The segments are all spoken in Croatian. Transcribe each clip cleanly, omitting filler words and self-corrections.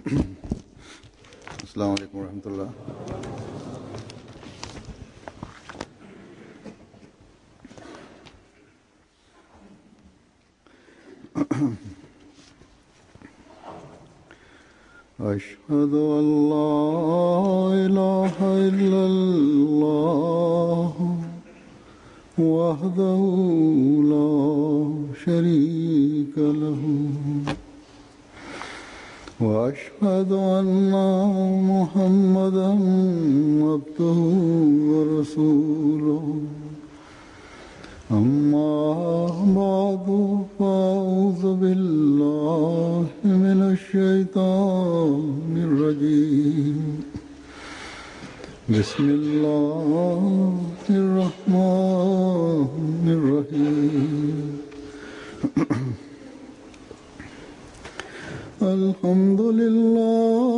अस्सलामु अलैकुम रहमतुल्लाह। अशहदु अल्ला इलाहा इल्लल्लाह वहदहु ला शरीका लहू وأشهد أن محمدا عبده ورسوله أما بعد فأعوذ بالله من الشيطان الرجيم بسم الله الرحمن الرحيم الحمد لله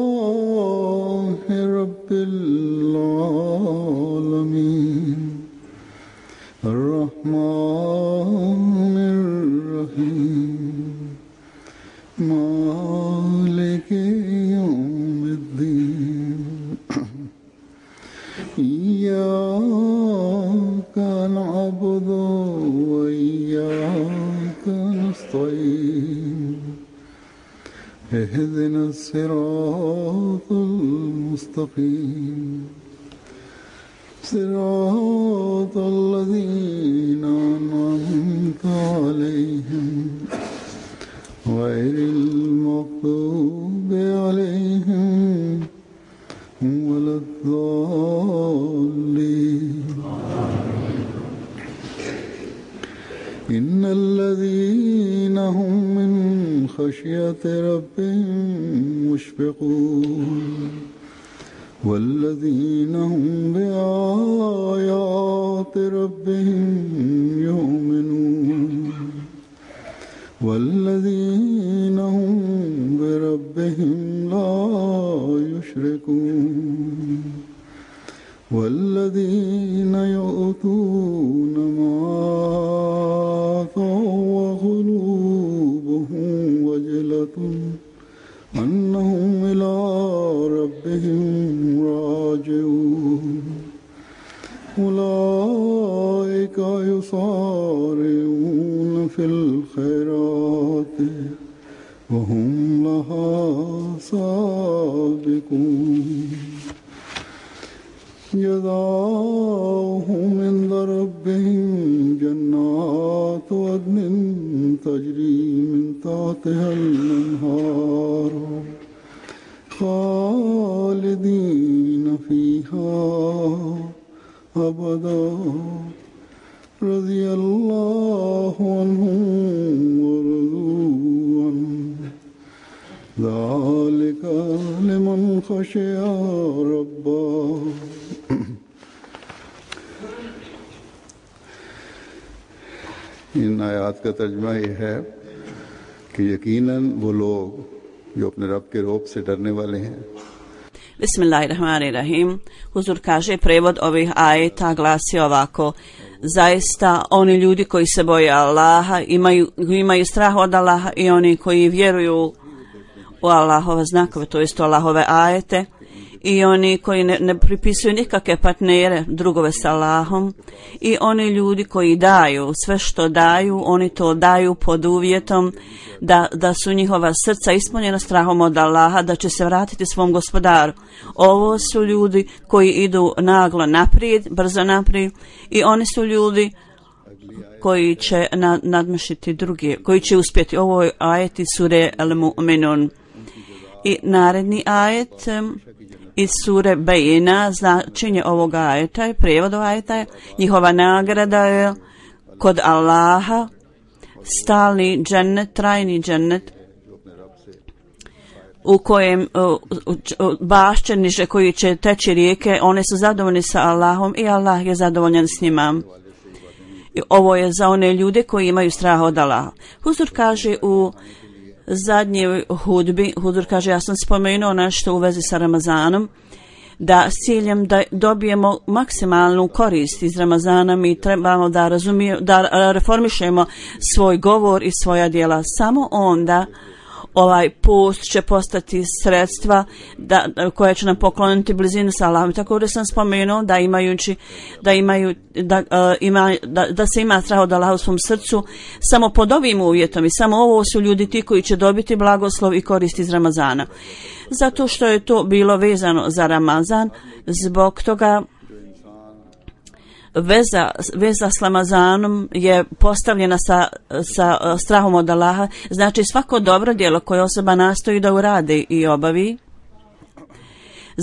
رب العالمين الرحمن الرحيم مالك يوم الدين إياك نعبد وإياك نستعين اهدنا الصراط المستقيم صراط الذين أنعمت عليهم غير المغضوب عليهم ولا الضالين إن الذين هم من خشية ربهم مشفقون والذين هم بآيات ربهم يؤمنون والذين هم بربهم لا يشركون والذين يؤتون ما آتوا وقلوبهم وجلة أنهم إلى ربهم راجعون أولئك يسارعون في الخيرات وهم لها سابقون جزاؤهم عند ربهم جنات عدن تجري من تحتها الأنهار خالدين فيها أبدا رضي الله عنهم ورضوا عنه ذلك لمن خشي ربه इन आयात का तर्जुमा ये है कि यकीनन वो लोग जो अपने रब के रौब से डरने वाले हैं. Bismillahirrahmanirrahim. Huzur kaže, prevod ovih ajeta glasi ovako: zaista oni ljudi koji se boje Allaha, imaju strah od Allaha, i oni koji vjeruju u Allahove znakove, to jest u Allahove ajete, i oni koji ne pripisuju nikakve partnere, drugove s Allahom, i oni ljudi koji daju sve što daju, oni to daju pod uvjetom da su njihova srca ispunjena strahom od Allaha, da će se vratiti svom gospodaru. Ovo su ljudi koji idu naglo naprijed, brzo naprijed, i oni su ljudi koji će nadmašiti druge, koji će uspjeti. Ovo je ajet iz sure Al-Mu'minun. I naredni ajet iz sure Bejina, značenje ovoga ajeta, prijevod ovog ajeta je: njihova nagrada je kod Allaha stalni džennet, trajni džennet, u kojem bašće niže koji će teći rijeke, one su zadovoljni sa Allahom i Allah je zadovoljan s njima. I ovo je za one ljude koji imaju strah od Allaha. Huzur kaže u zadnjoj hudbi, Huzur kaže, ja sam spomenuo nešto u vezi sa Ramazanom, da s ciljem da dobijemo maksimalnu korist iz Ramazana mi trebamo da reformišemo svoj govor i svoja djela. Samo onda ovaj post će postati sredstva koje će nam pokloniti blizinu sa Allahom. Također sam spomenuo da se ima strah od Allaha u svom srcu samo pod ovim uvjetom i samo ovo su ljudi ti koji će dobiti blagoslov i korist iz Ramazana. Zato što je to bilo vezano za Ramazan, zbog toga veza s Ramazanom je postavljena sa strahom od Allaha. Znači svako dobro djelo koje osoba nastoji da uradi i obavi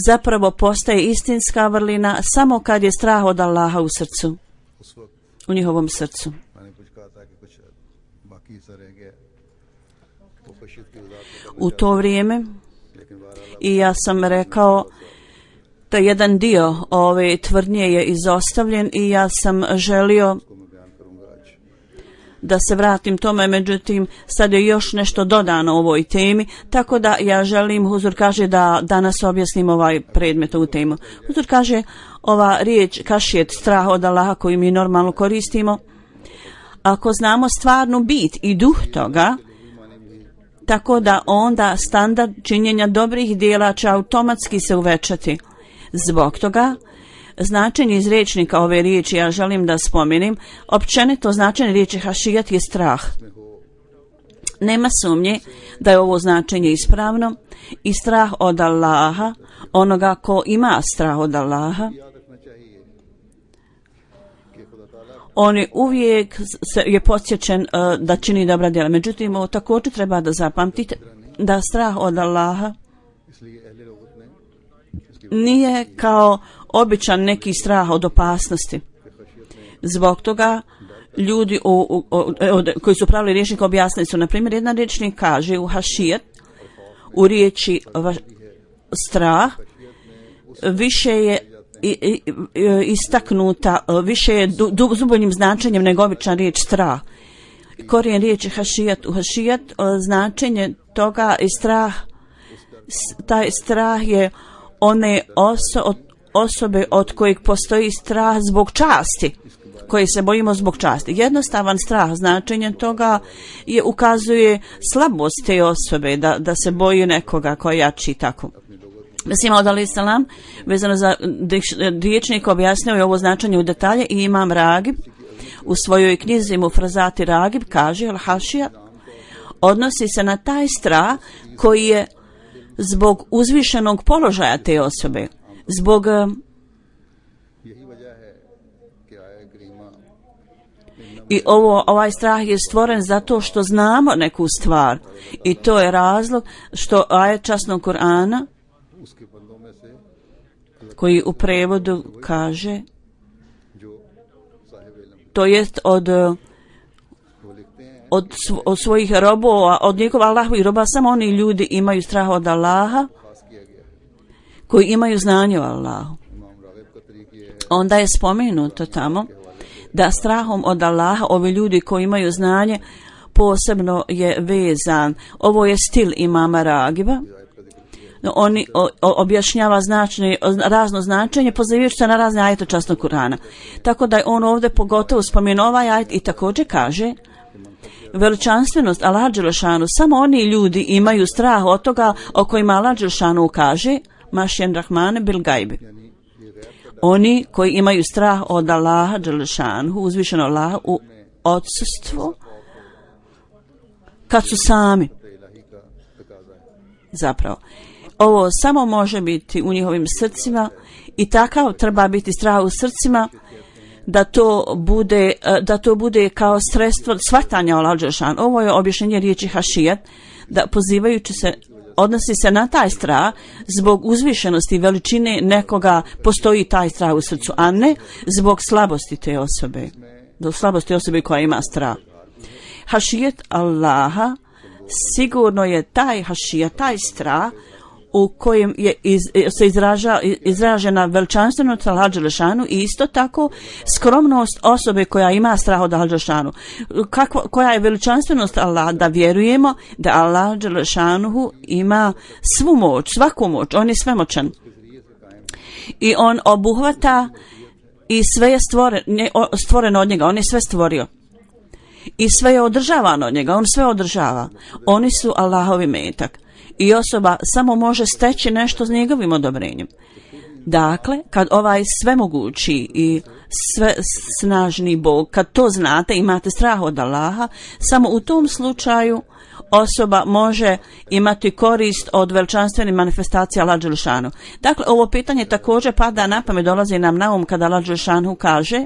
zapravo postaje istinska vrlina samo kad je strah od Allaha u srcu, u njihovom srcu. U to vrijeme i ja sam rekao da jedan dio ove tvrdnje je izostavljen i ja sam želio da se vratim tome, međutim sad je još nešto dodano ovoj temi, tako da ja želim, Huzur kaže, da danas objasnim ovaj predmet, ovu temu. Huzur kaže, ova riječ kašijet, strah od Allaha koju mi normalno koristimo, ako znamo stvarnu bit i duh toga, tako da onda standard činjenja dobrih dijela će automatski se uvećati. Zbog toga, značenje iz rječnika ove riječi ja želim da spomenem, općenito značenje riječi hašijat je strah. Nema sumnje da je ovo značenje ispravno i strah od Allaha, onoga ko ima strah od Allaha, on je uvijek je podsjećen da čini dobra djela. Međutim, ovo također treba da zapamtite da strah od Allaha nije kao običan neki strah od opasnosti. Zbog toga ljudi koji su pravili rječnik objasnili su, na primjer, jedan rječnik kaže u hašijet, u riječi strah, više je istaknuta, više je dubljim značenjem nego običan riječ strah. Korijen riječi hašijat, u hašijat značenje toga i strah, taj strah je one osobe od kojeg postoji strah zbog časti, koje se bojimo zbog časti. Jednostavan strah, značenje toga je ukazuje slabost te osobe, da se boji nekoga koji jači tako. Mislim, od alaih salam, vezano za riječnik, objasnio je ovo značenje u detalje i Imam Ragib u svojoj knjizi Mufrazati Ragib kaže, al-hašija odnosi se na taj strah koji je zbog uzvišenog položaja te osobe, zbog i ovaj strah je stvoren zato što znamo neku stvar i to je razlog što ajet časnog Kur'ana koji u prevodu kaže, to jest od svojih robova, od njegova Allahovih roba, samo oni ljudi imaju strah od Allaha koji imaju znanje o Allahu. Onda je spomenuto tamo da strahom od Allaha ovi ljudi koji imaju znanje posebno je vezan. Ovo je stil Imama Ragiba. Oni objašnjava razno značenje pozivajući se na razne ajete časnog Kur'ana. Tako da je on ovdje pogotovo spomenuo ovaj ajet i također kaže veličanstvenost Allaha dželešanu, samo oni ljudi imaju strah od toga o kojima Allah dželešanu kaže mašjen rahmane bil gajbi. Oni koji imaju strah od Allaha dželešanu, uzvišeno Allaha u odsustvu, kad su sami. Zapravo, ovo samo može biti u njihovim srcima i takav treba biti strah u srcima da to bude kao sredstvo shvatanja Allaha dželešanu. Ovo je objašnjenje riječi hašijat, da pozivajući se odnosi se na taj strah zbog uzvišenosti i veličine nekoga postoji taj strah u srcu, a ne zbog slabosti te osobe, zbog slabosti osobe koja ima strah. Hašijet Allaha sigurno je taj hašijat, taj strah u kojem je se izražena veličanstvenost Allaha dželešanu i isto tako skromnost osobe koja ima strah od Allaha dželešanu. Koja je veličanstvenost Allaha? Da vjerujemo da Allah dželešanu ima svu moć, svaku moć, on je svemoćan i on obuhvata i sve je stvoreno od njega, on je sve stvorio. i sve je održavano od njega, on sve održava. Oni su Allahovi metak i osoba samo može steći nešto s njegovim odobrenjem. Dakle, kad ovaj svemogući i sve snažni Bog, kad to znate, imate strah od Allaha, samo u tom slučaju osoba može imati korist od veličanstvenih manifestacija Allah dželešanu. Dakle, ovo pitanje također pada na pamet, dolazi nam na um kada Allah dželešanu kaže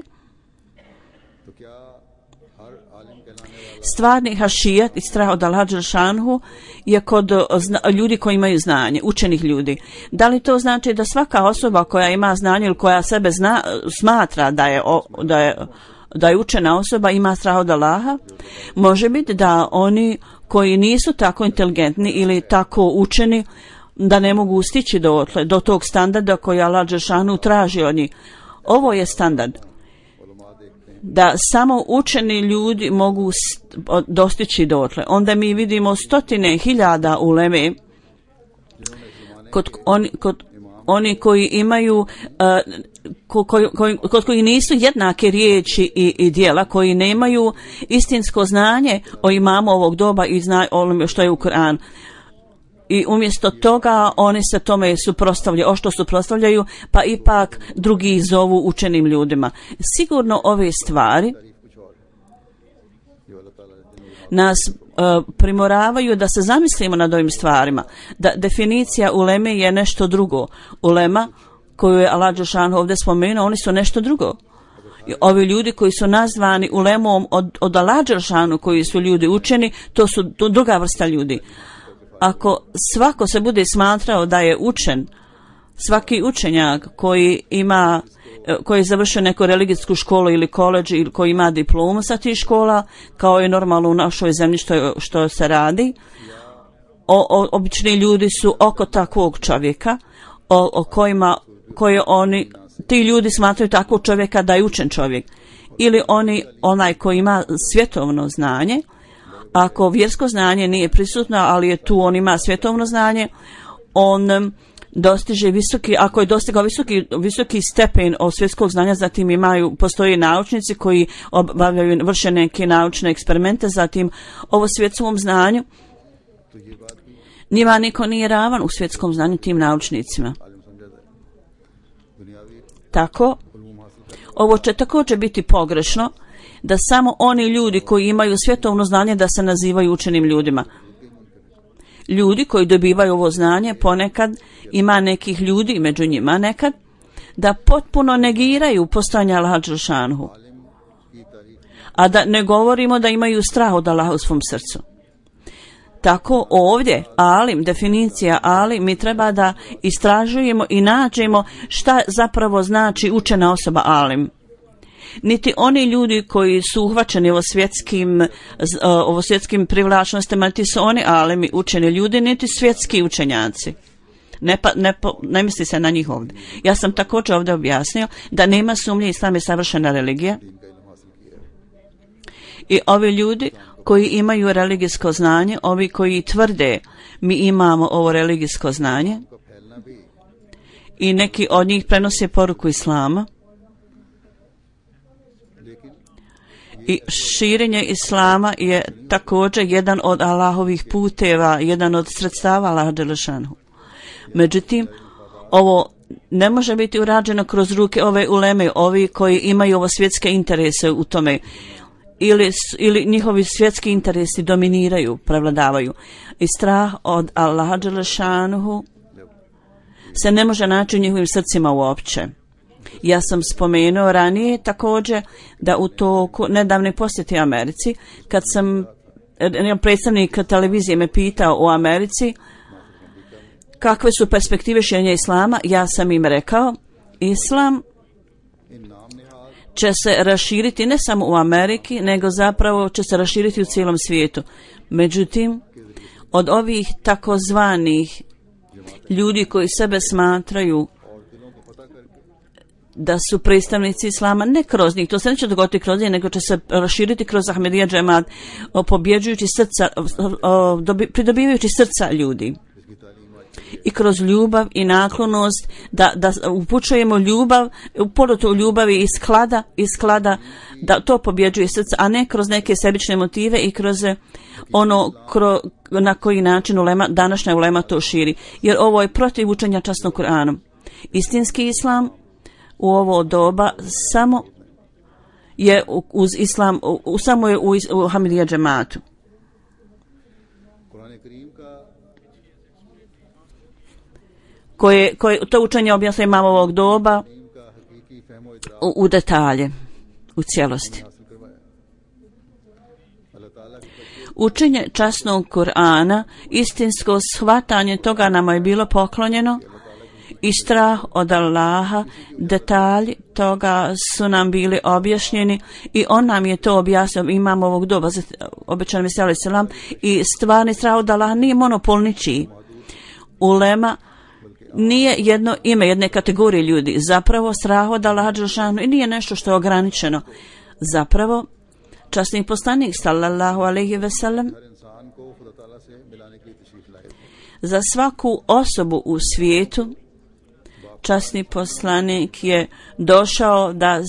stvarni hašijat i strah od Allah dželešanu je kod ljudi koji imaju znanje, učenih ljudi. Da li to znači da svaka osoba koja ima znanje ili koja sebe smatra da je učena osoba ima strah od Allaha? Može biti da oni koji nisu tako inteligentni ili tako učeni da ne mogu stići do tog standarda koji Allah dželešanu traži od njih. Ovo je standard. Da samo učeni ljudi mogu dostići dotle. Onda mi vidimo stotine hiljada uleme kod oni koji imaju kod koji nisu jednake riječi i djela, koji nemaju istinsko znanje o imamu ovog doba i onome što je u Kur'an. I umjesto toga oni se tome suprotstavljaju, što suprotstavljaju, pa ipak drugi zovu učenim ljudima. Sigurno ove stvari nas primoravaju da se zamislimo nad ovim stvarima. Da definicija uleme je nešto drugo. Ulema koju je Allah dželešanu ovdje spomenuo, oni su nešto drugo. I ovi ljudi koji su nazvani ulemom od Allah dželešanu, koji su ljudi učeni, to su druga vrsta ljudi. Ako svako se bude smatrao da je učen, svaki učenjak koji je završio neku religijsku školu ili koledž ili koji ima diplomu sa tih škola, kao je normalno u našoj zemlji što se radi, obični ljudi su oko takvog čovjeka ti ljudi smatraju takvog čovjeka da je učen čovjek. Ili onaj koji ima svjetovno znanje, ako vjersko znanje nije prisutno, ali je tu, on ima svjetovno znanje, on dostiže ako je dostigao visoki stepen od svjetskog znanja, zatim postoje naučnici koji vrše neke naučne eksperimente, zatim ovo svjetskom znanju, njima niko nije ravan u svjetskom znanju tim naučnicima. Tako, ovo će također biti pogrešno, da samo oni ljudi koji imaju svjetovno znanje da se nazivaju učenim ljudima. Ljudi koji dobivaju ovo znanje, ponekad ima nekih ljudi među njima nekad, da potpuno negiraju postojanje Allaha dželešanu. A da ne govorimo da imaju strah od Allaha u svom srcu. Tako ovdje, alim, definicija alim, mi treba da istražujemo i nađemo šta zapravo znači učena osoba alim. Niti oni ljudi koji su uhvaćeni ovo svjetskim privlačnostima, niti su oni alimi učeni ljudi, niti svjetski učenjaci. Ne misli se na njih ovdje. Ja sam također ovdje objasnio da nema sumnje, islam je savršena religija. I ovi ljudi koji imaju religijsko znanje, ovi koji tvrde mi imamo ovo religijsko znanje i neki od njih prenose poruku islama, i širenje islama je također jedan od Allahovih puteva, jedan od sredstava Allaha dželešanu. Međutim, ovo ne može biti urađeno kroz ruke ove uleme, ovi koji imaju ovo svjetske interese u tome, ili njihovi svjetski interesi dominiraju, prevladavaju. I strah od Allaha dželešanu se ne može naći u njihovim srcima uopće. Ja sam spomenuo ranije također da u toku nedavne posjete Americi, kad predstavnik televizije me pitao u Americi kakve su perspektive širenja islama, ja sam im rekao, islam će se raširiti ne samo u Ameriki, nego zapravo će se raširiti u cijelom svijetu. Međutim, od ovih takozvanih ljudi koji sebe smatraju da su predstavnici islama, ne kroz njih, to se neće dogoditi kroz njih, nego će se raširiti kroz Ahmedija džemat, pridobivajući srca ljudi. i kroz ljubav i naklonost da upućujemo ljubav, porutu ljubavi i sklada da to pobjeđuje srce, a ne kroz neke sebične motive i kroz ono na koji način današnja ulema to širi. Jer ovo je protiv učenja časnog Kur'ana. Istinski islam u ovo doba samo je uz islam, samo je u Hamidija džematu. Koje to učenje objasnuje imam ovog doba u detalje, u cijelosti. Učenje časnog Kur'ana, istinsko shvatanje toga nama je bilo poklonjeno i strah od Allaha, detalji toga su nam bili objašnjeni i on nam je to objasnio, imam ovog doba, obećan mi se selam, i stvarni strah od Allaha nije monopol ničiji. Ulema nije jedno ime jedne kategorije ljudi, zapravo strah od Allaha dželešanu i nije nešto što je ograničeno. Zapravo, časni poslanik sallallahu alejhi ve sellem za svaku osobu u svijetu, časni poslanik je došao da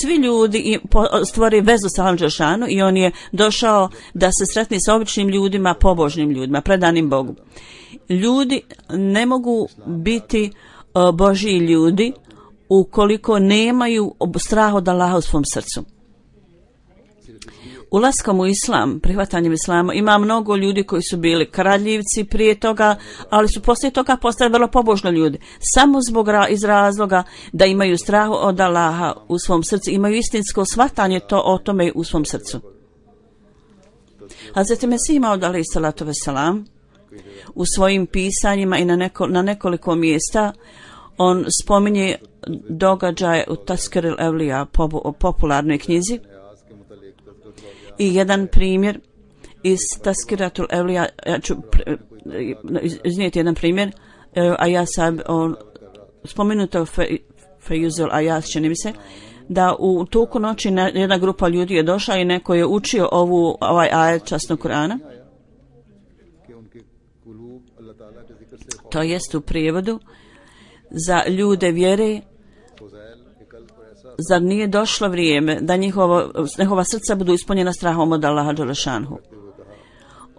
svi ljudi stvori vezu sa Allahom dželešanu i on je došao da se sretne sa običnim ljudima, pobožnim ljudima, predanim Bogu. Ljudi ne mogu biti Božji ljudi ukoliko nemaju strah od Allaha u svom srcu. Ulaskom u islam, prihvatanjem islama, ima mnogo ljudi koji su bili kradljivci prije toga, ali su poslije toga postali vrlo pobožni ljudi. Samo iz razloga da imaju strah od Allaha u svom srcu, imaju istinsko shvatanje o tome u svom srcu. Hazreti Mesih Maud alejhi salatu vesselam u svojim pisanjima i na nekoliko mjesta on spominje događaje u Taskiril Evlija, popularnoj knjizi. I jedan primjer iz Taskiratul Evlija, ja ću iznijeti jedan primjer, spomenuto Fejuzul Ajas, čini mi se, da u toku noći jedna grupa ljudi je došla i neko je učio ovaj ajet časnog Kur'ana. To jest u prijevodu za ljude vjere. Zar nije došlo vrijeme da njihova srca budu ispunjena strahom od Allaha dželešanhu?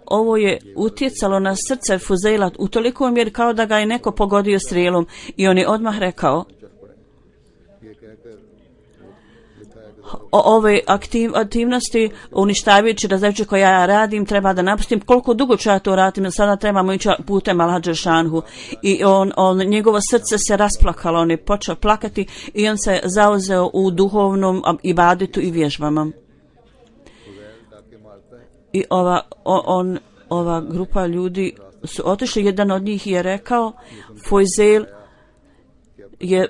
Ovo je utjecalo na srce Fuzeila u toliko mjeri kao da ga je neko pogodio strijelom i on je odmah rekao: ove aktivnosti uništavajući različite koje ja radim treba da napustim. Koliko dugo ću ja to radim? Sada trebamo ići putem Allaha dželešanhu. I njegovo srce se rasplakalo, on je počeo plakati i on se zauzeo u duhovnom ibadetu i vježbama. I ova grupa ljudi su otišli, jedan od njih je rekao, Fojzel je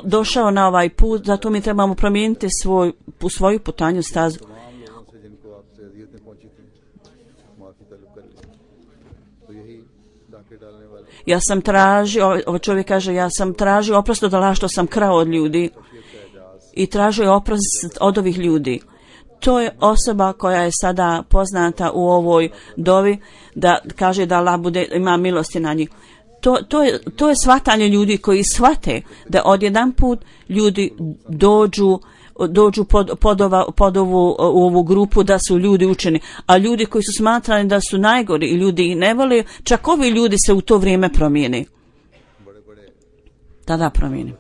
došao na ovaj put, zato mi trebamo promijeniti svoju putanju stazu. Ja sam tražio, ovaj čovjek kaže, ja sam tražio oprost od Allaha što sam krao od ljudi i tražio oprost od ovih ljudi. To je osoba koja je sada poznata u ovoj dovi da kaže da Allah ima milosti na njih. To je shvatanje ljudi koji shvate da odjedanput ljudi dođu pod ovu grupu da su ljudi učeni, a ljudi koji su smatrani da su najgori i ljudi ih ne vole, čak ovi ljudi se u to vrijeme promijeni. Tada promijeni.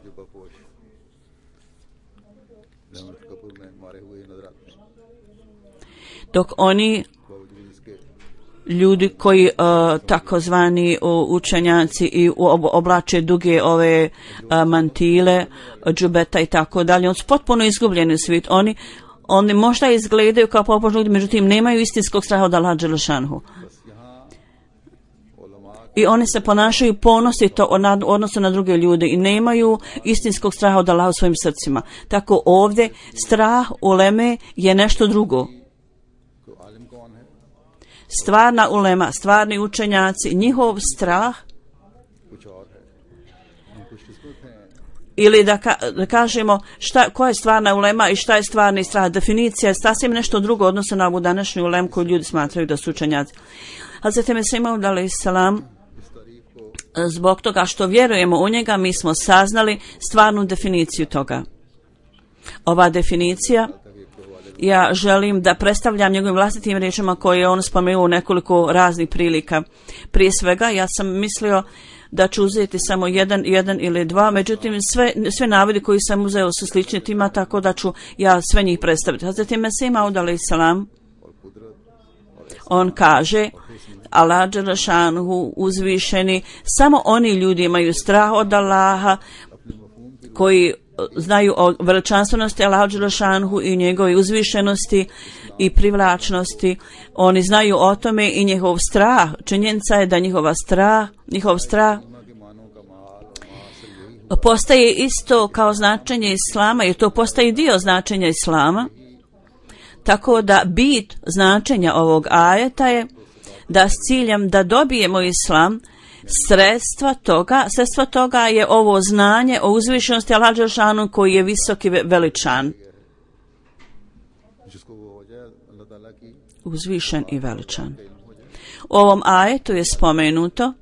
Dok oni ljudi koji takozvani učenjaci i oblače duge ove mantile, džubeta i tako dalje, oni su potpuno izgubljeni u svijet. Oni možda izgledaju kao pobožni ljudi, međutim nemaju istinskog straha od Allaha dželešanhu. I oni se ponašaju ponosito u odnosu na druge ljude i nemaju istinskog straha od Allaha u svojim srcima. Tako ovdje strah uleme je nešto drugo. Stvarna ulema, stvarni učenjaci, njihov strah, ili da kažemo koja je stvarna ulema i šta je stvarni strah, definicija je sasvim nešto drugo odnosno na ovu današnju ulemu koju ljudi smatraju da su učenjaci. Hazreti Mesih Maud alejselam, zbog toga što vjerujemo u njega, mi smo saznali stvarnu definiciju toga. Ova definicija, ja želim da predstavljam njegovim vlastitim riječima koje je on spomenuo u nekoliko raznih prilika. Prije svega, ja sam mislio da ću uzeti samo jedan ili dva, međutim sve navodi koji sam uzeo su slični tima, tako da ću ja sve njih predstaviti. Hazreti Mesih Maud alejselam, on kaže, Allah dželešanuhu uzvišeni, samo oni ljudi imaju strah od Allaha koji znaju o veličanstvenosti Allaha dželešanuhu i njegove uzvišenosti i privlačnosti. Oni znaju o tome i njihov strah. Činjenica je da njihov strah postaje isto kao značenje Islama, jer to postaje dio značenja Islama. Tako da bit značenja ovog ajeta je da s ciljem da dobijemo Islam, sredstva toga je ovo znanje o uzvišenosti Allaha dželešanuhu koji je visoki veličan. Uzvišen i veličan. U ovom ajetu je spomenuto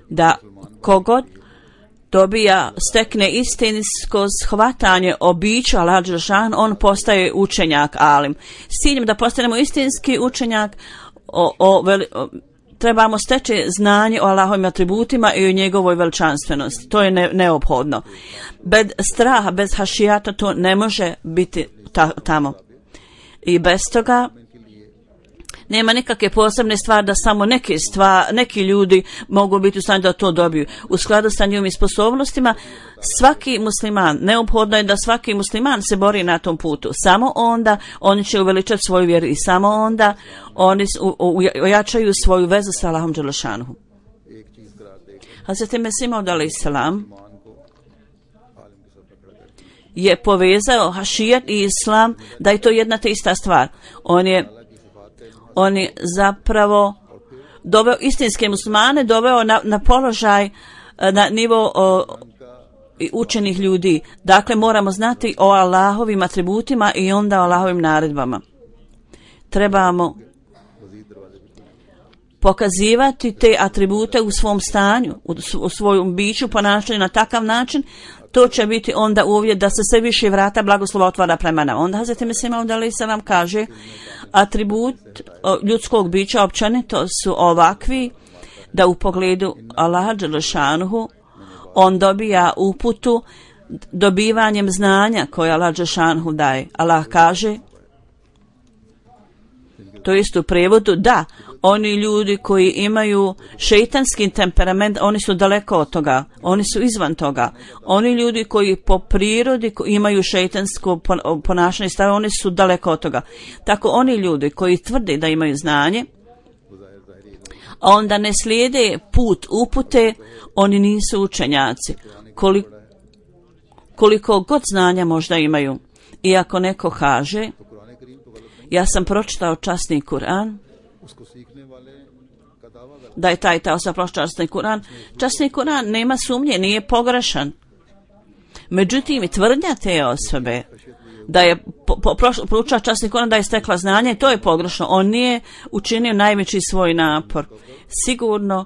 da kogod stekne istinsko shvatanje o biću Allaha dželešanuhu, on postaje učenjak alim. S ciljem da postanemo istinski učenjak, trebamo steći znanje o Allahovim atributima i o njegovoj veličanstvenosti. To je neophodno. Bez straha, bez hašijata to ne može biti tamo. I bez toga nema nikakve posebne stvari da samo neki ljudi mogu biti u stanju da to dobiju. U skladu sa njihovim sposobnostima, svaki musliman, neophodno je da svaki musliman se bori na tom putu. Samo onda oni će uveličati svoju vjeru i samo onda oni ojačaju svoju vezu sa Allahom dželešanuhu. Hazreti Mesih Maud alejselam je povezao hašijat i islam, da je to jedna te ista stvar. On je zapravo doveo istinske muslimane, doveo na položaj, na nivo učenih ljudi. Dakle, moramo znati o Allahovim atributima i onda o Allahovim naredbama. Trebamo pokazivati te atribute u svom stanju, u svojom biću, ponašanju na takav način. To će biti onda uvjet da se sve više vrata blagoslova otvara prema nama. Onda Hazreti Mesih Maud alejselam kaže, atribut ljudskog bića općenito su ovakvi da u pogledu Allaha dželešanuhu on dobija uputu dobivanjem znanja koje Allah dželešanuhu daje. Allah kaže, to jest u prevodu, da, oni ljudi koji imaju šejtanski temperament, oni su daleko od toga, oni su izvan toga. Oni ljudi koji po prirodi imaju šejtansko ponašanje, oni su daleko od toga. Tako oni ljudi koji tvrde da imaju znanje, a onda ne slijede put upute, oni nisu učenjaci. Koliko god znanja možda imaju. I ako neko kaže, ja sam pročitao časni Kur'an, da je ta osoba pročitao časni Kur'an. Časni Kur'an nema sumnje, nije pogrešan. Međutim, tvrdnja te osobe da je proučila časni Kur'an, da je stekla znanje, to je pogrešno. On nije učinio najveći svoj napor. Sigurno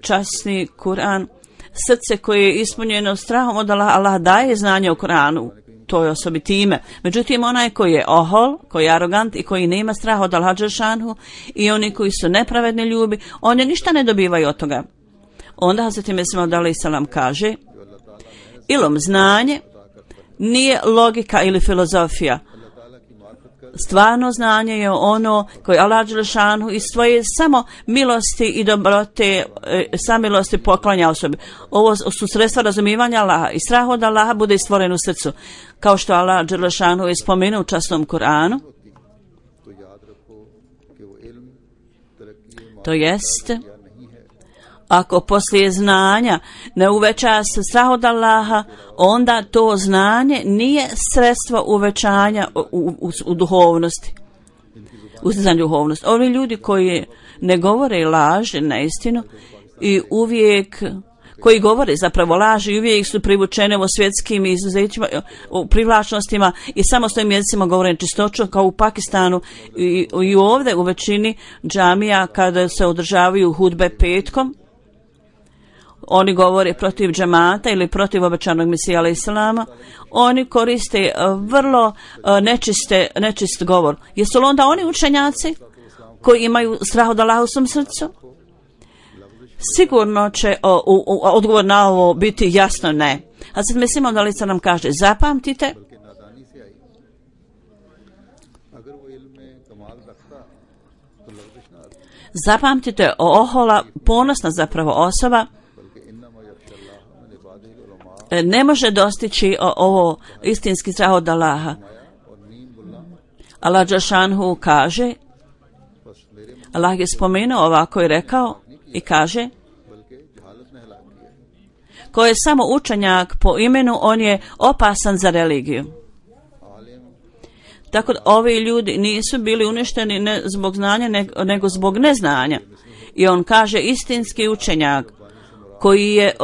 časni Kur'an, srce koje je ispunjeno strahom od Allaha, Allah daje znanje o Kur'anu toj osobi time. Međutim, onaj koji je ohol, koji je arogant i koji nema straha od Allaha dželešanuhu i oni koji su nepravedni ljubi, oni ništa ne dobivaju od toga. Onda Hazreti Mesih Maud alejselam kaže, ilom, znanje nije logika ili filozofija. Stvarno znanje je ono koje Allah dželešanuhu iz svoje samo milosti i dobrote, samilosti poklanja osobi. Ovo su sredstva razumijevanja Allaha i strah od Allaha bude stvoren u srcu. Kao što Allah dželešanuhu je spomenuo u časnom Kur'anu, to jest, ako poslije znanja ne uveća se strah od Allaha, onda to znanje nije sredstvo uvećanja u duhovnosti, ustizanju duhovnosti. Ovi ljudi koji ne govore laž, neistinu i uvijek koji govore zapravo laži i uvijek su privučene u svjetskim izuzećima, u privlačnostima i samostojnim jezicima govore čistoću, kao u Pakistanu i ovdje u većini džamija kada se održavaju hudbe petkom. Oni govore protiv džamata ili protiv obećanog Mesija alejhi selama. Oni koriste vrlo nečist govor. Jesu li onda oni učenjaci koji imaju strah od Allaha u svom srcu? Sigurno će odgovor na ovo biti jasno ne. A sad mislimo da lica nam kaže, zapamtite, ohola, ponosna zapravo osoba, ne može dostići ovo istinski strah od Allaha. Allah dželšanhu kaže, Allah je spomenuo ovako i rekao i kaže, ko je samo učenjak po imenu, on je opasan za religiju. Tako da ovi ljudi nisu bili uništeni ne zbog znanja, nego zbog neznanja. I on kaže, istinski učenjak koji je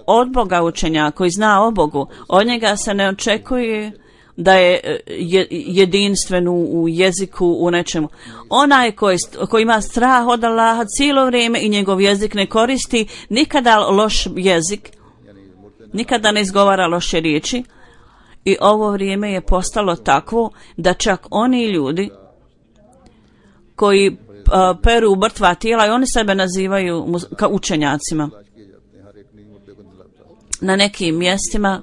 od Boga učenjak, koji zna o Bogu, od njega se ne očekuje da je jedinstven u jeziku, u nečemu. Onaj koji ima strah od Allaha cijelo vrijeme i njegov jezik ne koristi nikada loš jezik, nikada ne izgovara loše riječi, i ovo vrijeme je postalo takvo da čak oni ljudi koji peru mrtva tijela i oni sebe nazivaju kao učenjacima. Na nekim mjestima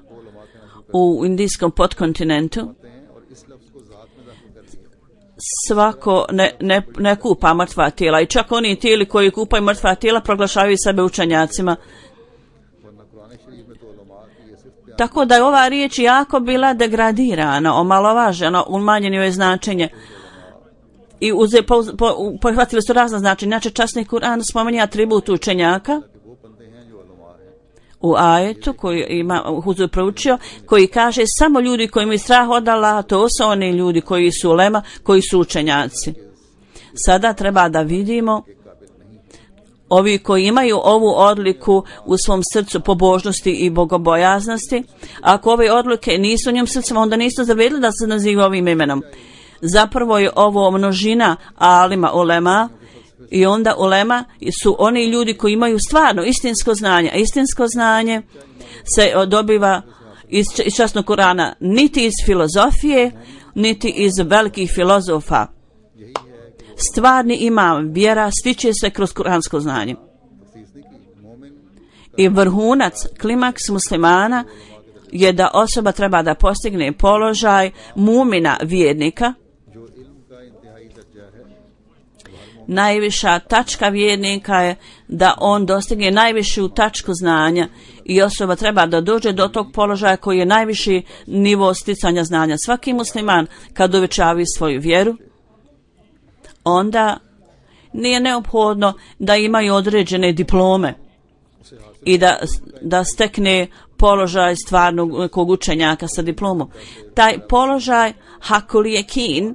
u indijskom podkontinentu svako ne kupa mrtva tijela i čak oni tijeli koji kupaju mrtva tijela proglašavaju sebe učenjacima. Tako da je ova riječ jako bila degradirana, omalovažena, umanjeno je značenje i pohvatili su razna značenja. Inače časni Kur'an spominje atribut učenjaka u ajetu koji ima Huzur proučio, koji kaže samo ljudi koji imaju strah od Allaha, to su oni ljudi koji su ulema, koji su učenjaci. Sada treba da vidimo ovi koji imaju ovu odliku u svom srcu pobožnosti i bogobojaznosti. Ako ove odlike nisu u njom srcima, onda nisu zavredili da se naziva ovim imenom. Zapravo je ovo množina alima ulema, i onda ulema su oni ljudi koji imaju stvarno istinsko znanje. A istinsko znanje se dobiva iz časnog Kurana, niti iz filozofije, niti iz velikih filozofa. Stvarni imam, vjera stiče se kroz kuransko znanje. I vrhunac, klimaks muslimana je da osoba treba da postigne položaj mumina vjernika. Najviša tačka vjernika je da on dostigne najvišu tačku znanja i osoba treba da dođe do tog položaja koji je najviši nivo sticanja znanja. Svaki musliman kad uvećavi svoju vjeru, onda nije neophodno da imaju određene diplome i da stekne položaj stvarnog kog učenjaka sa diplomom. Taj položaj hakul jekin,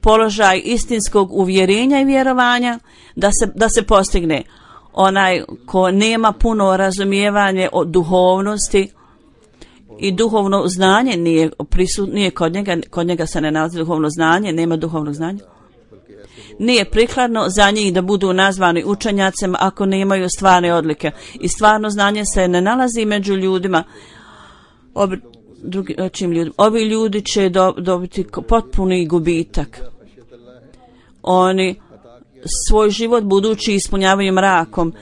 položaj istinskog uvjerenja i vjerovanja, da se postigne. Onaj ko nema puno razumijevanje o duhovnosti i duhovno znanje nije kod njega se ne nalazi duhovno znanje, nema duhovnog znanja. Nije prikladno za njih da budu nazvani učenjacima ako nemaju stvarne odlike. I stvarno znanje se ne nalazi među ljudima. Ovi ljudi će dobiti potpuni gubitak. Oni svoj život budući ispunjavaju mrakom.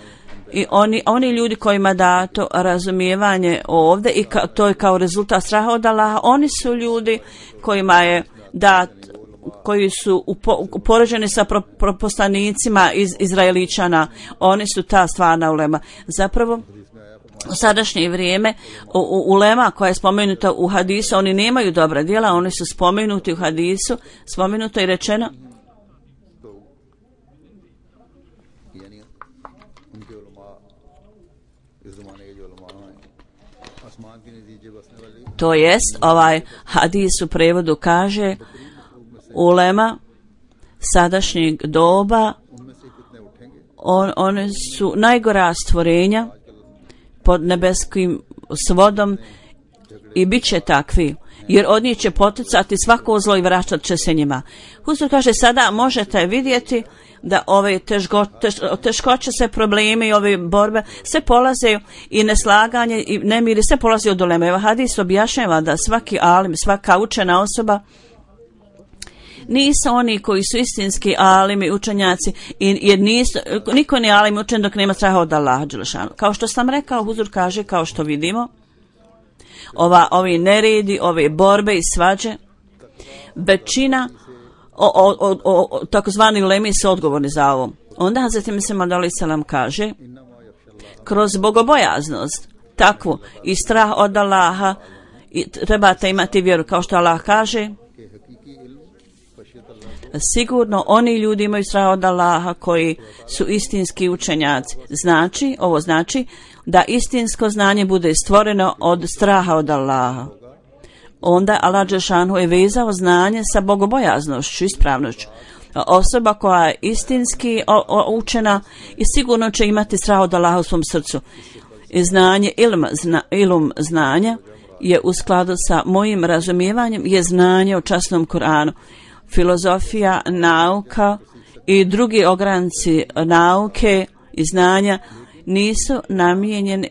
I oni ljudi kojima dato razumijevanje ovdje i to je kao rezultat straha od Allaha, oni su ljudi kojima je dat, koji su upoređeni sa poslanicima iz Izraeličana, oni su ta stvarna ulema. Zapravo u sadašnje vrijeme ulema koja je spomenuta u hadisu, oni nemaju dobra djela, oni su spomenuti u hadisu, spomenuto i rečeno to jest ovaj hadis u prevodu kaže ulema sadašnjeg doba, One su najgora stvorenja pod nebeskim svodom i bit će takvi, jer od njih će poticati svako zlo i vraćat će se njima. Huzur kaže, sada možete vidjeti da ove teškoće, sve probleme i ove borbe sve polaze i neslaganje i nemiri sve polaze od uleme. Evo hadis objašnjava da svaki alim, svaka učena osoba nisu oni koji su istinski alimi, učenjaci, jer niko nije alim učen dok nema straha od Allaha dželešanu. Kao što sam rekao, Huzur kaže, kao što vidimo, ovi neredi, ove borbe i svađe, većina takozvani ulemi su odgovorni za ovo. Onda Hazreti Mesih Maud alejhi selam kaže, kroz bogobojaznost, takvu i strah od Allaha, trebate imati vjeru, kao što Allah kaže, sigurno oni ljudi imaju strah od Allaha koji su istinski učenjaci. Ovo znači da istinsko znanje bude stvoreno od straha od Allaha. Onda Allah dželešanu je vezao znanje sa bogobojaznošću, ispravnošću. Osoba koja je istinski učena i sigurno će imati strah od Allaha u svom srcu. I znanje, ilum znanja je u skladu sa mojim razumijevanjem je znanje o časnom Kur'anu. Filozofija, nauka i drugi ogranci nauke i znanja nisu namijenjeni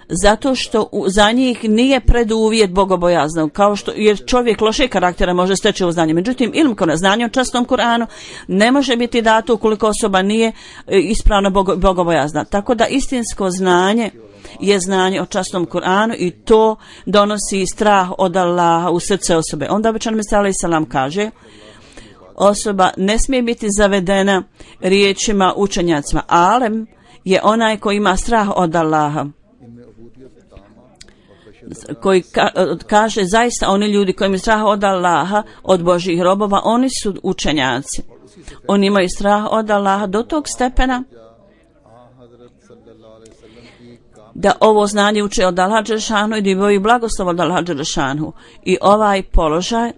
zato što za njih nije preduvjet bogobojaznog, kao što jer čovjek lošeg karaktera može steći ovo znanje. Međutim, znanje o časnom Kur'anu ne može biti dato ukoliko osoba nije ispravno bogobojazna. Tako da istinsko znanje je znanje o časnom Kur'anu i to donosi strah od Allaha u srce osobe. Onda obećan Mesih alejhi selam kaže, osoba ne smije biti zavedena riječima učenjacima. Alem je onaj koji ima strah od Allaha, koji kaže zaista oni ljudi koji imaju strah od Allaha, od Božjih robova, oni su učenjaci. Oni imaju strah od Allaha do tog stepena da ovo znanje uče od Allaha dželešanu i da imaju blagoslov od Allaha dželešanu. I ovaj položaj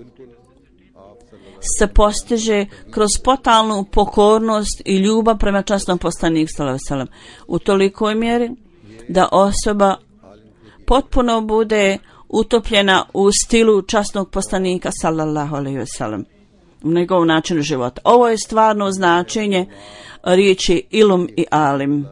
se postiže kroz totalnu pokornost i ljubav prema časnom poslaniku sallallahu alejhi ve sellem u tolikoj mjeri da osoba potpuno bude utopljena u stilu časnog poslanika sallallahu alejhi ve sellem u njegovom načinu života. Ovo je stvarno značenje riječi ilum i alim.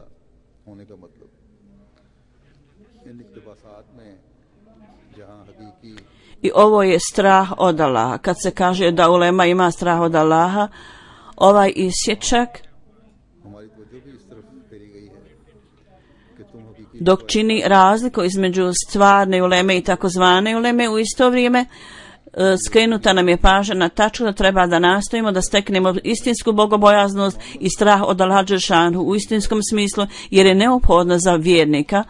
I ovo je strah od Allaha. Kad se kaže da ulema ima strah od Allaha, ovaj isječak dok čini razliku između stvarne uleme i takozvane uleme, u isto vrijeme skrenuta nam je pažnja na tačku da treba da nastojimo da steknemo istinsku bogobojaznost i strah od Allaha dželešanu u istinskom smislu, jer je neophodno za vjernika,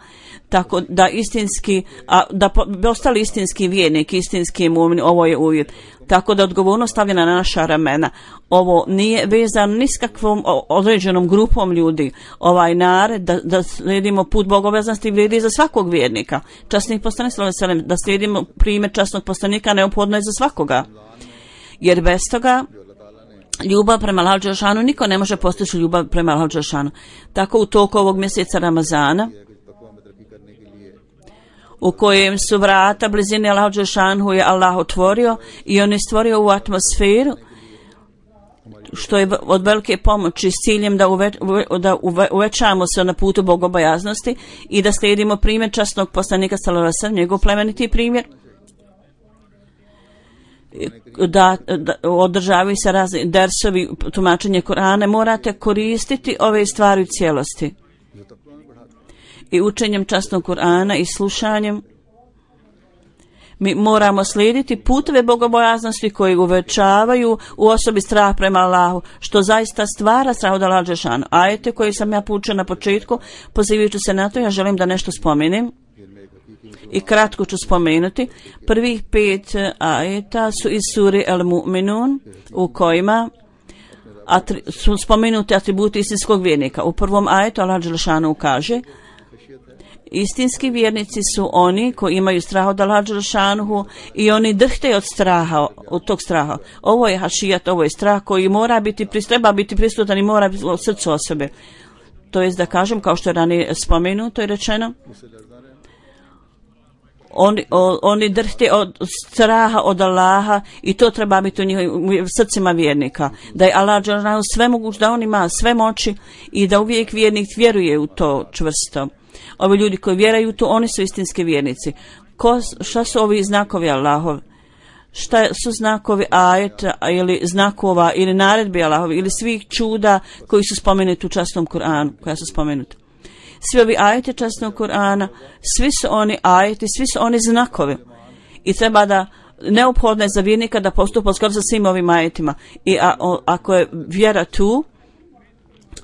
tako da istinski, da ostali istinski vjernik, istinski mu'min, ovo je uvjet. Tako da odgovornost stavljena na naša ramena. Ovo nije vezano ni s kakvom određenom grupom ljudi. Ovaj nared da slijedimo put bogobojaznosti vrijedi za svakog vjernika. Časnih poslanik sallallahu alejhi ve sellem, da slijedimo primjer časnog poslanika neophodno je za svakoga. Jer bez toga ljubav prema Allahu dželešanu niko ne može postići ljubav prema Allahu dželešanu. Tako u toku ovog mjeseca Ramazana, u kojem su vrata blizine Allahu dželešanu je Allah otvorio i on je stvorio ovu atmosferu što je od velike pomoći s ciljem da uvećamo se na putu bogobojaznosti i da slijedimo primjer časnog poslanika sallallahu alejhi ve sellem, njegov plemeniti primjer, da održavaju se razni dersovi, tumačenje Kur'ana. Morate koristiti ove stvari u cijelosti. I učenjem časnog Kur'ana i slušanjem mi moramo slijediti puteve bogobojaznosti koji uvećavaju u osobi strah prema Allahu, što zaista stvara strah od Allaha dželešanu. Ajete koje sam ja poučila na početku, pozivajući se na to, ja želim da nešto spomenem i kratko ću spomenuti. Prvih 5 ajeta su iz sure Al-Mu'minun, u kojima su spomenuti atributi istinskog vjernika. U prvom ajetu Allah dželešanu kaže: Istinski vjernici su oni koji imaju strah od Allaha dželešanuhu i oni drhte od straha, od tog straha. Ovo je hašijat, ovo je strah koji treba biti prisutan i mora biti u srcu osobe. To jest da kažem, kao što je ranije spomenuto i rečeno, oni drhte od straha od Allaha i to treba biti u njihovim srcima vjernika. Da je Allah dželešanuhu sve moguć, da on ima sve moći i da uvijek vjernik vjeruje u to čvrsto. Ovi ljudi koji vjeruju u to, oni su istinski vjernici. Šta su ovi znakovi Allahov? Šta su znakovi ajeta ili znakova ili naredbi Allahovi ili svih čuda koji su spomenuti u časnom Kur'anu, koja su spomenuti? Svi ovi ajeti časnog Kur'ana, svi su oni ajeti, svi su oni znakovi. I treba da neophodno je za vjernika da postupa skoro sa svim ovim ajetima. I ako je vjera tu,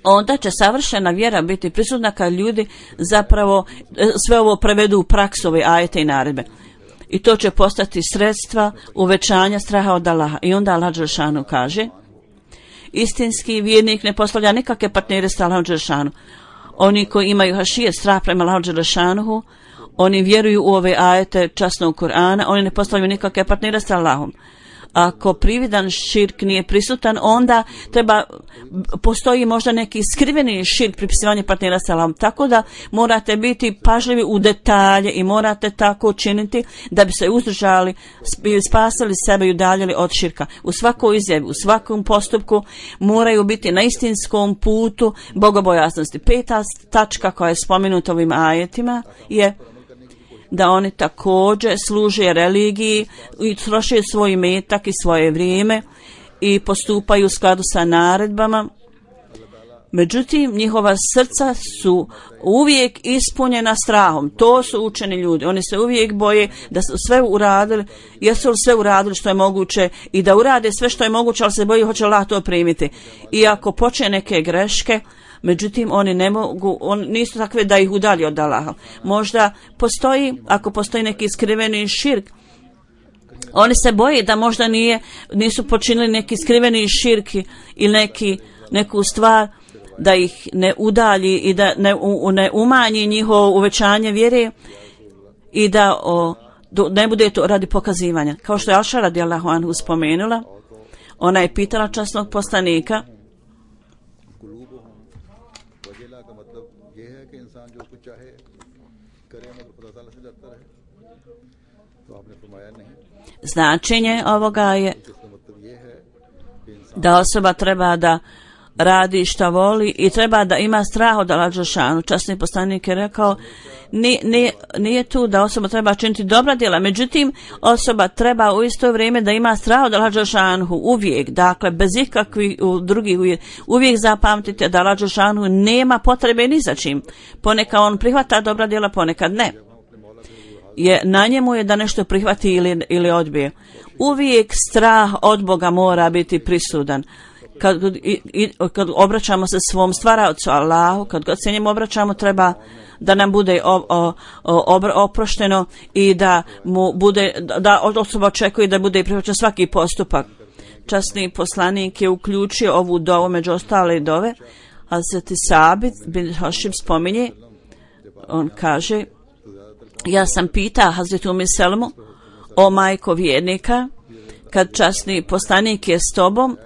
onda će savršena vjera biti prisutna kad ljudi zapravo sve ovo prevedu u praksu, ove ajete i naredbe. I to će postati sredstva uvećanja straha od Allaha. I onda Allah dželešanu kaže, istinski vjernik ne postavlja nikakve partnere s Allahom dželešanu. Oni koji imaju hašije, strah prema Allahu dželešanuhu, oni vjeruju u ove ajete časnog Kur'ana, oni ne postavljaju nikakve partnere s Allahom. Ako prividan širk nije prisutan, onda postoji možda neki skriveni širk, pripisivanje partnera s Allahom. Tako da morate biti pažljivi u detalje i morate tako učiniti da bi se uzdržali i spasili sebe i udaljili od širka. U svakoj izjavi, u svakom postupku moraju biti na istinskom putu bogobojaznosti. 5. tačka koja je spomenuta ovim ajetima je da oni također služe religiji i troše svoj metak i svoje vrijeme i postupaju u skladu sa naredbama. Međutim, njihova srca su uvijek ispunjena strahom. To su učeni ljudi. Oni se uvijek boje da su sve uradili, jesu li sve uradili što je moguće i da urade sve što je moguće, ali se boji hoće Allah to primiti. I ako počne neke greške, međutim, oni ne mogu, nisu takve da ih udalji od Allaha. Možda ako postoji neki skriveni širk, oni se boje da možda nisu počinili neki skriveni širk ili neku stvar da ih ne udalji i da ne umanji njihovo uvećanje vjere i da ne bude to radi pokazivanja. Kao što je Aša radijallahu anhu spomenula, ona je pitala časnog poslanika, značenje ovoga je da osoba treba da radi šta voli i treba da ima strah od Allaha dželešanu. Časni poslanik je rekao, nije tu da osoba treba činiti dobra djela, međutim osoba treba u isto vrijeme da ima strah od Allaha dželešanu uvijek, dakle bez ikakvih drugih uvijek zapamtite da Allah dželešanu nema potrebe ni za čim. Ponekad on prihvata dobra djela, ponekad ne. Na njemu je da nešto prihvati ili odbije. Uvijek strah od Boga mora biti prisutan. Kad obraćamo se svom stvaraocu Allahu, kad god se njemu obraćamo, treba da nam bude oprošteno i da mu bude, da osoba očekuje da bude prihvaćen svaki postupak. Časni poslanik je uključio ovu dovu među ostale dove, a Hazreti Sabit bin Hašim spominje, on kaže, ja sam pitao Hazretu Umu Selmu, o majko vjernika, kad časni poslanik je s tobom,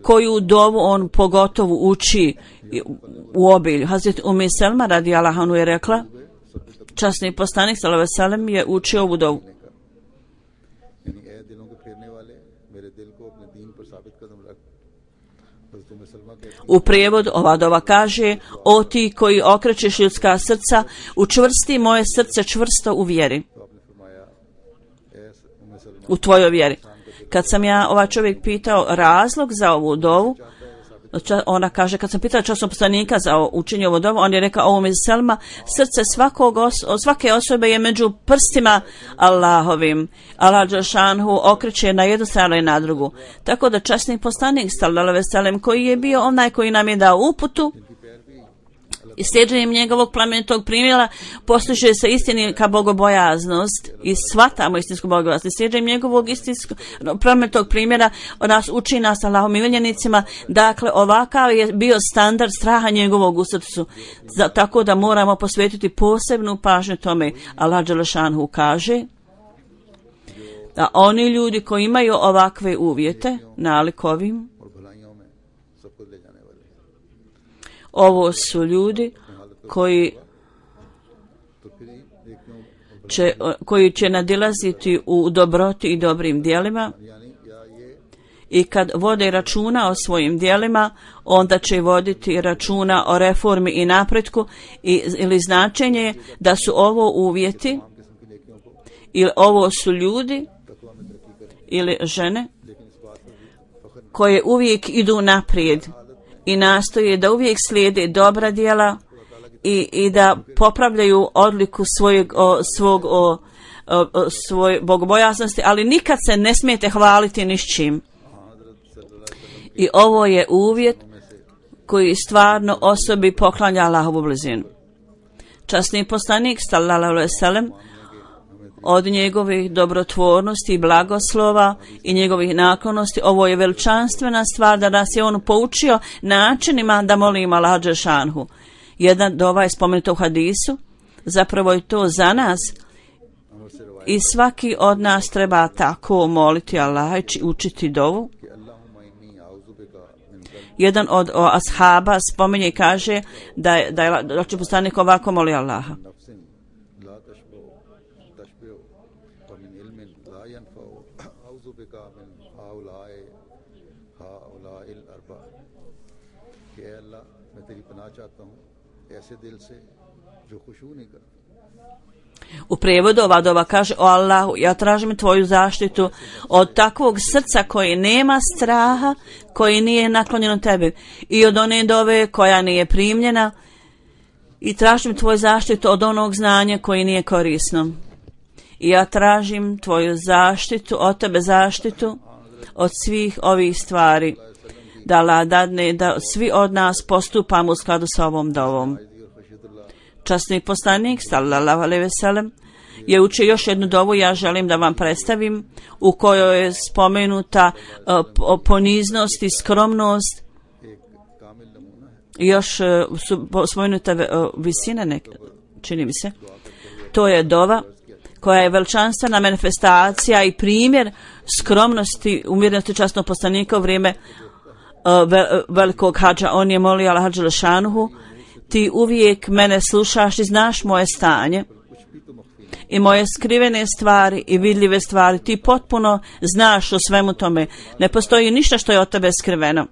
koju dovu on pogotovo uči u obilju. Hazret Umu Selma radijallahu anha je rekla, časni poslanik sallallahu alejhi ve sellem je učio ovu dovu. U prijevodu ova dova kaže, o ti koji okrećeš ljudska srca, učvrsti moje srce čvrsto u vjeri, u tvojoj vjeri. Kad sam ja čovjek pitao razlog za ovu dovu, ona kaže, kad sam pitala časnog poslanika za učenje ovu dovu, on je rekao, ovo mi Selma, srce svake osobe je među prstima Allahovim. Allah dželešanu okreće na jednu stranu i na drugu. Tako da časni poslanik sallallahu alejhi ve sellem, koji je bio onaj koji nam je dao uputu, I slijeđenjem njegovog plemenitog primjera postiže se istinska bogobojaznost i shvatamo istinsku bogobojaznost. I slijeđenjem njegovog plemenitog primjera nas uči nas Allahom miljenicima. Dakle, ovakav je bio standard straha njegovog u srcu. Tako da moramo posvetiti posebnu pažnju tome. Allah dželešanhu kaže da oni ljudi koji imaju ovakve uvjete, nalik ovim, ovo su ljudi koji će nadilaziti u dobroti i dobrim djelima i kad vode računa o svojim djelima, onda će voditi računa o reformi i napretku ili značenje da su ovo uvjeti ili ovo su ljudi ili žene koje uvijek idu naprijed i nastoje da uvijek slijede dobra djela i da popravljaju odliku svoje bogobojaznosti, ali nikad se ne smijete hvaliti ni s čim. I ovo je uvjet koji stvarno osobi poklanja Allahovu blizinu. Časni poslanik sallallahu alejhi ve sellem od njegovih dobrotvornosti i blagoslova i njegovih naklonosti, ovo je veličanstvena stvar da nas je on poučio načinima da molimo Allaha dželešanhu. Jedan dova je spomenuto u hadisu, zapravo je to za nas i svaki od nas treba tako moliti Allaha i učiti dovu. Jedan od ashaba spominje i kaže da je poslanik ovako moli Allaha. U prijevodu ova dova kaže: o Allahu, ja tražim tvoju zaštitu od takvog srca koji nema straha, koji nije naklonjeno tebi, i od one dove koja nije primljena, i tražim tvoju zaštitu od onog znanja koji nije korisno. I ja tražim tvoju zaštitu, od tebe zaštitu od svih ovih stvari, da Allah dadne da svi od nas postupamo u skladu sa ovom dovom. Časni poslanik sallallahu alejhi ve sellem je učio još jednu dovu, ja želim da vam predstavim, u kojoj je spomenuta poniznost i skromnost. Još su spomenuta visina, čini mi se. To je dova koja je veličanstvena manifestacija i primjer skromnosti, umjerenosti časnog poslanika u vrijeme velikog hadža. On je molio Allaha dželešanuhu: ti uvijek mene slušaš i znaš moje stanje i moje skrivene stvari i vidljive stvari. Ti potpuno znaš o svemu tome. Ne postoji ništa što je od tebe skriveno.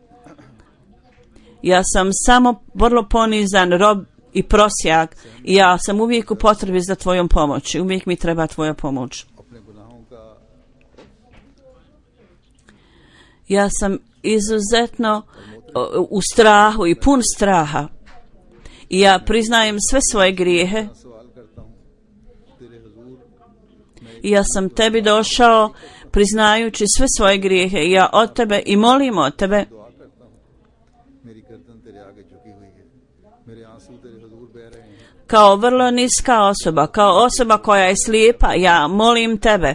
Ja sam samo vrlo ponizan rob i prosjak i ja sam uvijek u potrebi za tvojom pomoći. Uvijek mi treba tvoja pomoć. Ja sam izuzetno u strahu i pun straha. I ja priznajem sve svoje grijehe. I ja sam tebi došao priznajući sve svoje grijehe. I ja od tebe i molim od tebe kao vrlo niska osoba, kao osoba koja je slijepa, ja molim tebe.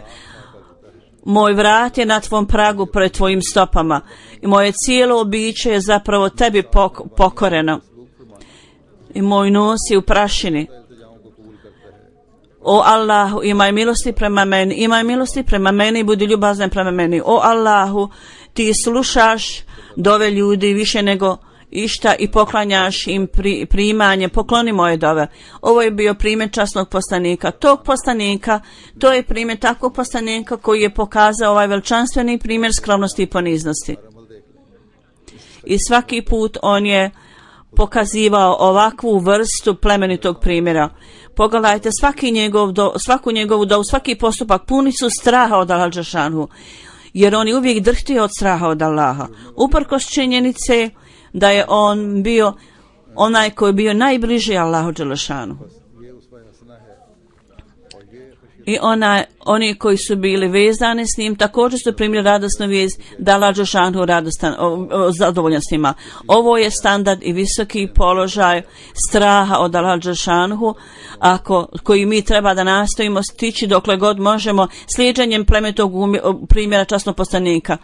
Moj vrat je na tvom pragu pred tvojim stopama i moje cijelo biće je zapravo tebi pokoreno. I moj nos je u prašini. O Allahu, imaj milosti prema meni, imaj milosti prema meni i budi ljubazan prema meni. O Allahu, ti slušaš dove ljudi više nego išta i poklanjaš im primanje, pokloni moje dove. Ovo je bio primjer časnog poslanika. Tog poslanika, to je primjer takvog poslanika koji je pokazao ovaj veličanstveni primjer skromnosti i poniznosti. I svaki put on je pokazivao ovakvu vrstu plemenitog primjera. Pogledajte svaku njegovu dovu, svaki postupak puni su straha od Allaha dželešanuhu, jer on je uvijek drhtio od straha od Allaha. Uprkos činjenice da je on bio onaj koji je bio najbliži Allahu dželešanuhu. I oni koji su bili vezani s njim također su primili radosnu vijest da Allah dželešanu zadovoljan s njima. Ovo je standard i visoki položaj straha od Allah dželešanu koji mi treba da nastojimo stići dokle god možemo slijeđenjem plemenitog primjera časnog poslanika,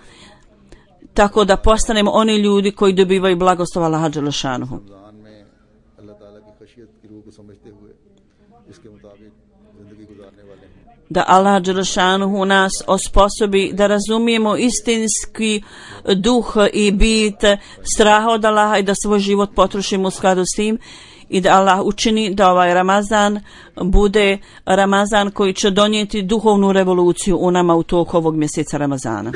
tako da postanemo oni ljudi koji dobivaju blagoslov Allaha dželešanu. Da Allah dželešanu nas osposobi da razumijemo istinski duh i bit straha od Allaha i da svoj život potrošimo u skladu s tim, i da Allah učini da ovaj Ramazan bude Ramazan koji će donijeti duhovnu revoluciju u nama u toku ovog mjeseca Ramazana.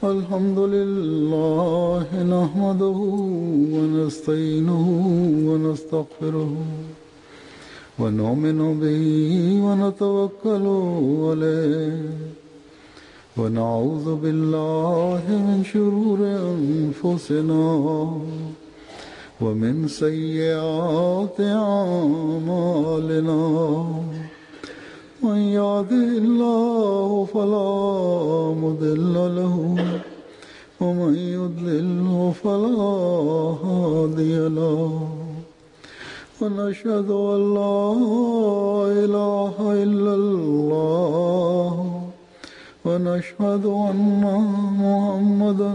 Alhamdulillah nahmaduhu wa nasta'inuhu wa nastaghfiruhu wa nu'minu bihi wa natawakkalu alayhi wa na'udhu billahi min shururi anfusina wa min sayyiati a'malina. من يهده الله فلا مضل له ومن يضلل فلا هادي له ونشهد أن لا إله إلا الله ونشهد أن محمدا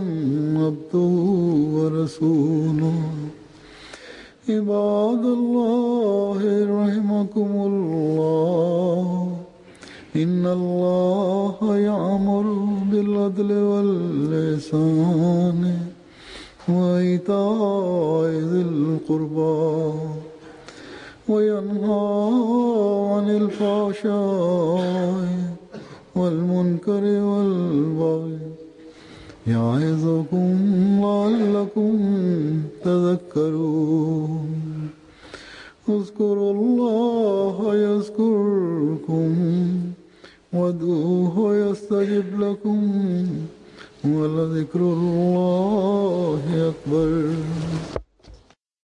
عبده ورسوله. عباد الله رحمكم الله إن الله يأمر بالعدل والإحسان وإيتاء ذي القربى وينهى عن الفحشاء والمنكر والبغي يعظكم لعلكم تذكرون. اذكروا الله يذكركم وادعوه يستجب لكم ولذكر الله أكبر.